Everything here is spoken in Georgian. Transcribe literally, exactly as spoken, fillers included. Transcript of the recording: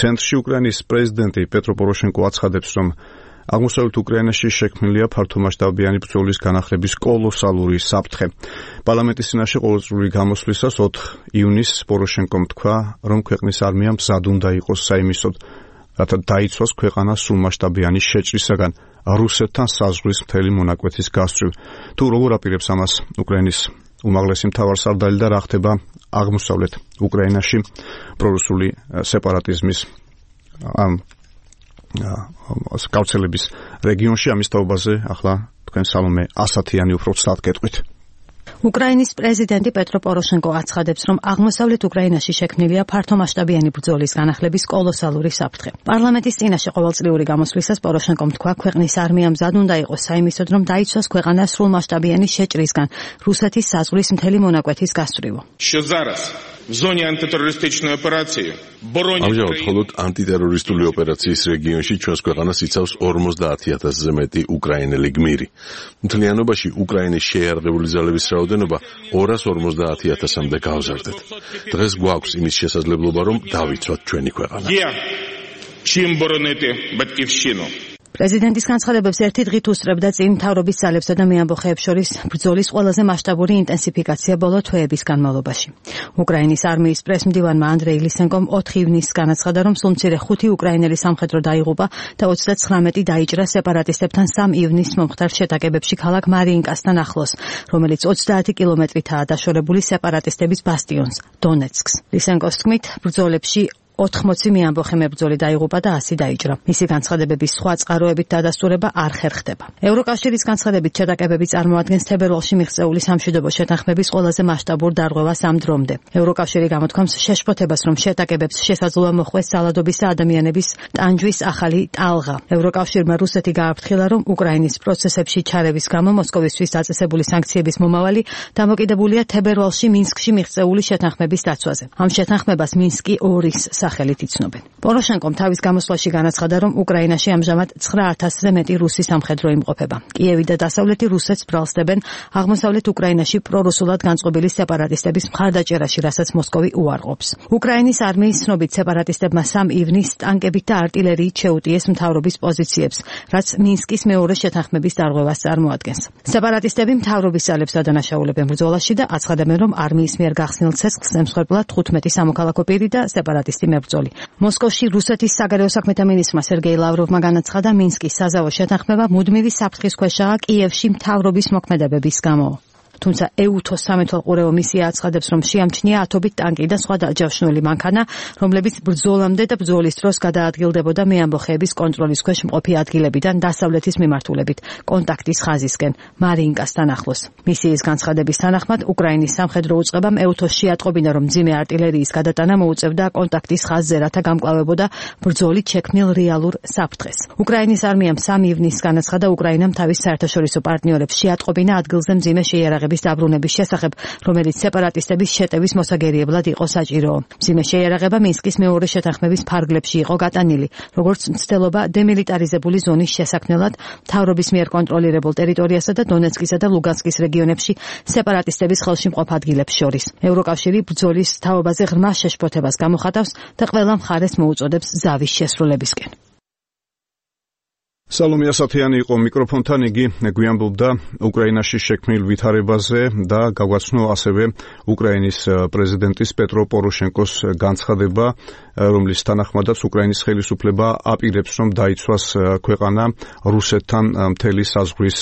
ცენტრში უკრაინის პრეზიდენტი პეტრო პოროშენკო აცხადებს, რომ აღმოსავლეთ უკრაინაში შექმნილია ფართომასშტაბიანი ბრძოლის განახლების კოლოსალური საფრთხე. პარლამენტის წინაშე ყოველწლიური გამოსვლისას ოთხ ივნისს პოროშენკომ თქვა, რომ ქვეყნის არმია მზად უნდა იყოს საიმისოდ, რათა დაიცვას ქვეყანა სრულმასშტაბიანი შეჭრისაგან რუსეთთან საზღვრის მთელი მონაკვეთის გასწვრივ. თუ როგორ აპირებს ამას უკრაინის უმაღლესი მთავარსარდალი და რა ხდება აღმოსავლეთ უკრაინაში პრორუსული სეპარატიზმის ამ გავრცელების რეგიონში, ამის თაობაზე ახლა თქვენ სალომე ასათიანი უფრო ცუდად გეტყვით. უკრაინის პრეზიდენტი პეტრო პოროშენკო აცხადებს, რომ აღმოსავლეთ უკრაინაში შექმნილია ფართომასშტაბიანი ბრძოლის განახლების კოლოსალური საფრთხე. პარლამენტის წინაშე ყოველწლიური გამოსვლისას პოროშენკომ თქვა, ქვეყნის არმია მზად უნდა იყოს საიმისოდ, რომ დაიცვას ქვეყანა სრულმასშტაბიანი შეჭრისგან რუსეთის საზღვრის მთელი მონაკვეთის გასწვრივ. ამჟამად მხოლოდ ანტიტერორისტული ოპერაციის რეგიონში ჩვენს ქვეყანას იცავს ორმოცდაათი ათასზე მეტი უკრაინელი გმირი. მთლიანობაში უკრაინის შეიარაღებული ძალების რაოდენობა ორას ორმოცდაათი ათასამდე გავზარდეთ. დღეს გვაქვს იმის შესაძლებლობა, რომ დავიცვათ ჩვენი ქვეყანა. პრეზიდენტის განცხადებებს ერთი დღით უსწრებდა წინ მთავრობის ძალებსა და მეამბოხეებს შორის ბრძოლის ყველაზე მასშტაბური ინტენსიფიკაცია ბოლო თვეების განმავლობაში. უკრაინის არმიის პრესმდივანმა ანდრეი ლისენკომ ოთხ ივნისს განაცხადა, რომ სულ მცირე ხუთი უკრაინელი სამხედრო დაიღუპა და ოცდაცხრამეტი დაიჭრა სეპარატისტებთან სამ ივნისს მომხდარ შეტაკებებში ქალაქ მარიინკასთან ახლოს, რომელიც ოცდაათი კილომეტრითაა დაშორებული სეპარატისტების ბასტიონს, დონეცკს. ლისენკოს თქმით, ბრძოლებში ოთხმოცი მეამბოხე მებრძოლი დაიღუპა და ასი დაიჭრა. მისი განცხადებების სხვა წყაროებით დადასტურება არ ხერხდება. ევროკავშირის განცხადებით შეტაკებები წარმოადგენს თებერვალში მიღწეული სამშვიდობო შეთანხმების ყველაზე მასშტაბურ დარღვევას ამ დრომდე. ევროკავშირი გამოთქვამს შეშფოთებას, რომ შეტაკებებს შესაძლოა მოხვდეს ძალადობის და ადამიანების ტანჯვის ახალი ტალღა. ევროკავშირმა რუსეთი გააფრთხილა, რომ უკრაინის პროცესებში ჩარევის გამო მოსკოვისთვის დაწესებული სანქციების მომავალი დამოკიდებულია თებერვალში მინსკში მიღწეული შეთანხმების დაცვაზე. ამ შეთანხმებას მინსკი ორის სახელით იცნობენ. პოროშენკომ თავის გამოსვლაში განაცხადა, რომ უკრაინაში ამჟამად ცხრა ათასზე მეტი რუსი სამხედრო იმყოფება. კიევი და დასავლეთი რუსეთს ბრალსდებენ აღმოსავლეთ უკრაინაში პრორუსულად განწყობილი სეპარატისტების მხარდაჭერაში, რასაც მოსკოვი უარყოფს. უკრაინის არმიის ცნობით სეპარატისტებმა სამ ივნისს ტანკებით და არტილერიით შეუტიეს მთავრობის პოზიციებს, რაც მინსკის მეორე შეთანხმების დარღვევას წარმოადგენს. სეპარატისტები მთავრობის ძალებს ადანაშაულებენ ბრძოლაში და აცხადებენ, რომ არმიის მიერ გახსნილ ცეცხლს ემსხვერპლა თხუთმეტი სამოქალაქო პირი და სეპარატისტი მებრძოლი. მოსკოვში რუსეთის საგარეო საქმეთა მინისტრმა სერგეი ლავროვმა განაცხადა, მინსკის საზავო შეთანხმება მუდმივი საფრთხის ქვეშაა კიევში მთავრობის მოქმედებების გამო. თუმცა ეუთოს სამეთვალყურეო მისია აცხადებს, რომ შეამჩნია ათობით ტანკი და სხვა დაჯავშნული მანქანა, რომლებიც ბრძოლამდე და ბრძოლის დროს გადაადგილდებოდა მეამბოხეების კონტროლის ქვეშ მყოფი ადგილებიდან დასავლეთის მიმართულებით, კონტაქტის ხაზისკენ, მარიინკასთან ახლოს. მისიის განცხადების თანახმად, უკრაინის სამხედრო უწყებამ ეუთოსში ატყობინა, რომ მძიმე არტილერიის გადატანა მოუწევდა კონტაქტის ხაზზე, რათა გამკლავებოდა ბრძოლით შექმნილ რეალურ საფრთხეს. უკრაინის არმიამ სამ ივნისს განაცხადა, უკრაინამ თავის საერთაშორისო პარტნიორებს შეატყობინა ადგილზე მძიმე შეიარაღების დაბრუნების შესახებ, რომელიც სეპარატისტების შეტევის მოსაგერიებლად იყო საჭირო. მძიმე შეიარაღება მინსკის მეორე შეთანხმების ფარგლებში იყო გატანილი, როგორც მცდელობა დემილიტარიზებული ზონის შესაქმნელად მთავრობის მიერ კონტროლირებულ ტერიტორიასა და დონეცკისა და ლუგანსკის რეგიონებში სეპარატისტების ხელში მყოფ ადგილებს შორის. ევროკავშირი ბრძოლის თაობაზე ღრმა შეშფოთებას გამოხატავს და ყველა მხარეს მოუწოდებს ზავის შესრულებისკენ. სალომე ასათიანი იყო მიკროფონთან, იგი გვიამბობდა უკრაინაში შექმნილ ვითარებაზე და გაგვაცნო ასევე უკრაინის პრეზიდენტის პეტრო პოროშენკოს განცხადება, რომლის თანახმადაც უკრაინის ხელისუფლება აპირებს, რომ დაიცვას ქვეყანა რუსეთთან მთელი საზღვრის